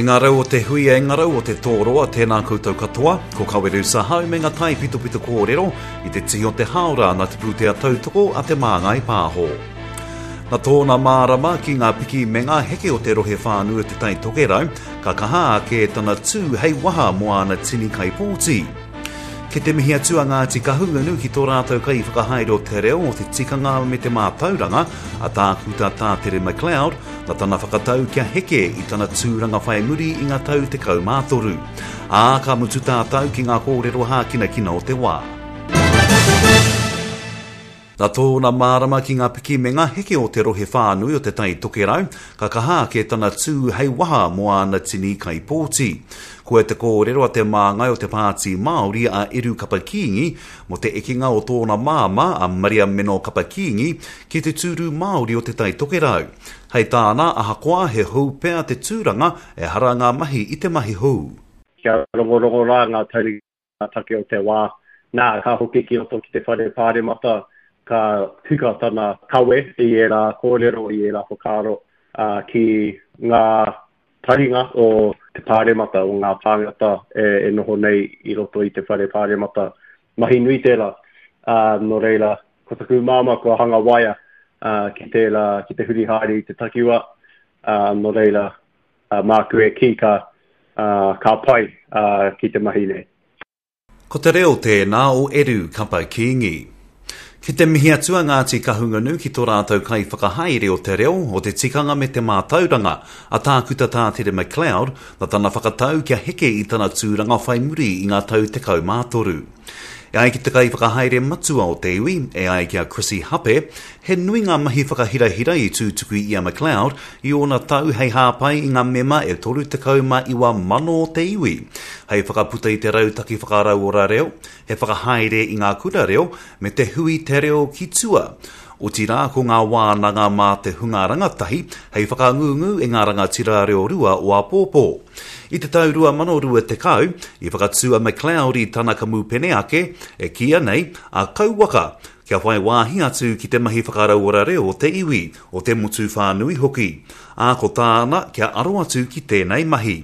E ngā rau o te huia, e ngā rau o te tōroa, tēnā koutou katoa. Ko Kawerau Sahau me ngā taipitopito kōrero i te tihi o te hāora nā te pūtea tautoko a Te Māngai Pāho. Nā tōna mārama ki ngā piki me ngā heke o te rohe whānui o Te Tai Tokerau, ka kaha ake tana tū hei waha mō āna tini kaipōti. Kei te mihi atu a Ngāti Kahungunu ki tō rātou kaiwhakahaere o te reo, o te tikanga me te mātauranga, a Tākuta Tātere McLeod, nā tana whakatau kia heke i tana tūranga whai muri i ngā tau 13. Ā, ka mutu tātou ki ngā kōrero hākinakina o te wā. Nā tōna mārama ki ngā piki me ngā heke o te rohe whānui o Te Tai Tokerau, ka kaha ake tana tū hei waha mō āna tini kaipōti. Koia te kōrero a te māngai o te Pāti Māori a Eru Kapa Kīngi mō te ekenga o tōna māmā a Maria Meno Kapa Kīngi ki te tūru Māori o Te Tai Tokerau. Hei tāna, ahakoa he hou pea te tūranga, ehara ngā mahi i te mahi hou. Kia rongorongo rā ngā taurima ngā take o te wā. Nā, ka hoki ki roto ki te whare pāremata, ka tika tana kawe i ērā kōrero, i ērā whakaaro ki ngā taringa o te pāremata, o ngā tāngata e noho nei i roto i te whare pāremata. Mahi nui tērā. Nō reira, ko taku māmā kua hanga waea ki tērā, ki te huri haere i te takiwā. Nō reira, māku e kī ka, ka pai ki te mahi nei. Ko te reo tēnā o Eru Kapa Kīngi. Ki te mihi atu a Ngāti Kahungunu ki tō rātou kaiwhakahaere o te reo, o te tikanga me te mātauranga, a Tākuta Tātere McLeod, nā tana whakatau kia heke i tana tūranga whai muri i ngā tau 13. E ai ki te kaiwhakahaere matua o te iwi, e ai ki a Chrissy Hape, he nui ngā mahi whakahirahira i tūtuki i a McLeod i ōna tau hei hāpai i ngā mema e 39,000 o te iwi, hei whakaputa i te rautaki whakarauora reo, he whakahaere i ngā kura reo, me te hui Te Reo ki Tua. Otirā ko ngā wānanga mā te hunga rangatahi hei whakangungu i ngā rangatira reo rua o āpōpō. I te tau 2020, i whakatū a McLeod i tana kamupene ake, e kīia nei, a Kauwaka, kia whai wāhi atu ki te mahi whakarauora reo o te iwi, o te motu whānui hoki. Ā, ko tāna, kia aro atu ki tēnei mahi.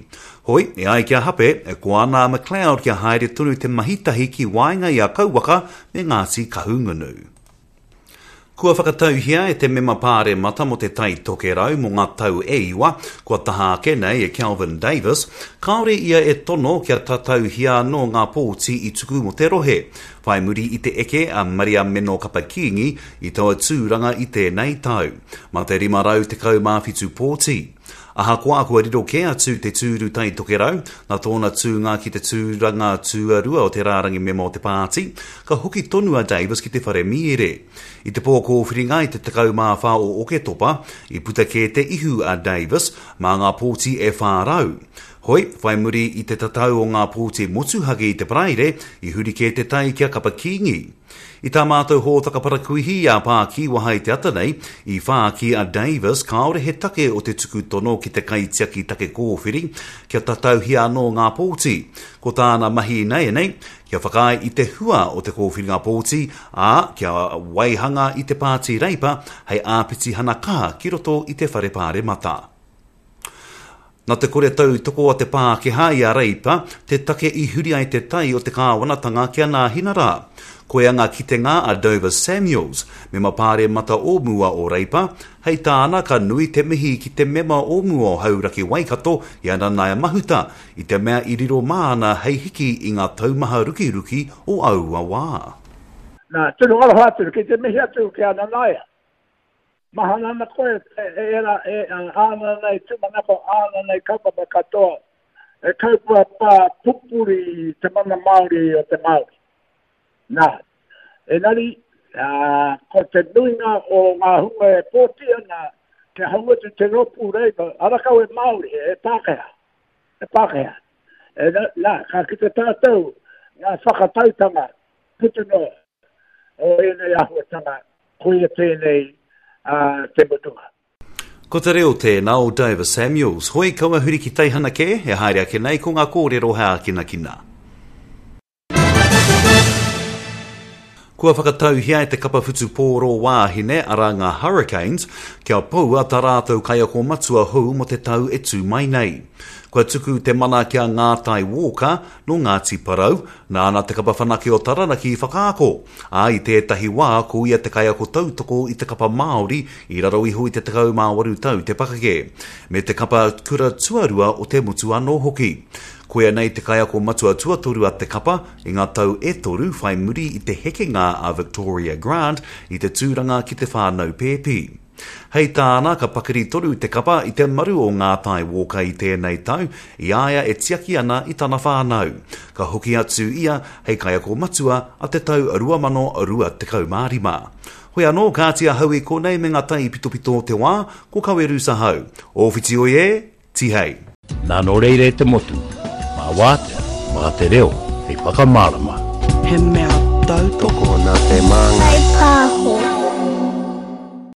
Hoi, e ai ki a Hape, e koa ana a McLeod kia haere tonu te mahi tahi ki waenga i a Kauwaka me Ngāti Kahungunu. Kua whakatauhia e te mema pāremata mō Te Tai Tokerau mō ngā tau e iwa, kua taha ake nei e Kelvin Davis, kāore ia e tono kia tatauhia anō ngā pōti i tuku mō te rohe, whai muri i te eke a Maria Meno Kapa Kīngi i taua tūranga i tēnei tau, mā te 517 pōti. Ahakoa kua riro kē atu te tūru Tai Tokerau, nā tōna tūnga ki te tūranga tuarua o te rārangi mema o te pāti, ka hoki tonu a Davis ki te whare mīere. I te pō kōwhiringa i te 14 o Oketopa, i puta kē te ihu a Davis mā ngā pōti e 400. Hoi, whai muri i te tatau o ngā pōti motuhake i te Paraire, i huri kē te tai ki a Kapa Kīngi. I tā mātou hōtaka parakuihi a Pākīwaha i te ata nei, i whāki a Davis kāore he take o te tuku tono ki te kaitiaki take kōwhiri kia tatauhia anō ngā pōti. Ko tāna mahi ināianei, kia whakaae i te hua o te kōwhiringa pōti, ā, kia waihanga i te Pāti Reipa hei āpitihana kaha ki roto i te Whare Pāremata. Nā te kore tautoko a te Pākehā i a Reipa te take i huri ai te tai o te kāwanatanga ki a Nāhinara. Koia ngā kitenga a Dover Samuels, mema pāremata o mua o Reipa, hei tāna ka nui te mihi ki te mema o mua o Hauraki Waikato i a Nanaia Mahuta i te mea i riro māna hei hiki i ngā taumaha rukiruki o aua wā. Nā, tino aroha atu ki te mihi atu ki a Nanaia. Mahana ana koe e ērā, e āna nei tūmanako, āna nei kaupapa katoa, e kaupapa pupuri i te mana Māori o te Māori. Nā, engari, ko te nuinga o ngā hunga e pōti ana kia hau atu te rōpū Labour, ara kau e Māori, e Pākehā, e Pākehā. E, nā, ka kite tātou ngā whakatautanga puta noa o ēnei āhuatanga, koia tēnei te mutunga. Ko te reo tēnā o Dover Samuels. Hoi kaua huri ki teihana kē, e haere ake nei ko ngā kōrero hei ākinakina. Kua whakatauhia e te kapa whutupōro wāhine, arā ngā Hurricanes, kia poua tā rātou kaiako matua hou mō te tau e tū mai nei. Kua tuku te mana ki a Ngātai Walker, nō Ngāti Porou, nāna te kapa whanake o Taranaki i whakaako, ā, i tētahi wā ko ia te kaiako tautoko i te kapa Māori i raro iho i te 18 tau te pakeke, me te kapa kura tuarua o te motu anō hoki. Koia nei te kaiako matua tuatoru a te kapa i ngā tau e toru whai muri i te hekenga a Victoria Grant i te tūranga ki te whānau pēpi. Hei tāna, ka pakari tonu te kapa i te maru o ngā tae wōka i tēnei tau, i a ia e tiaki ana i tana whānau. Ka hoki atu ia hei kaiako matua a te tau 2025. Hoi anō, kāti ahau i konei me ngā taipitopito o te wā, ko Kawerusa hau. Ōwhiti oi e, Tihei! Nā nō reira e te motu, mā wātea, mā te reo hei whakamārama. He mea tautoko. Tokona te māngai.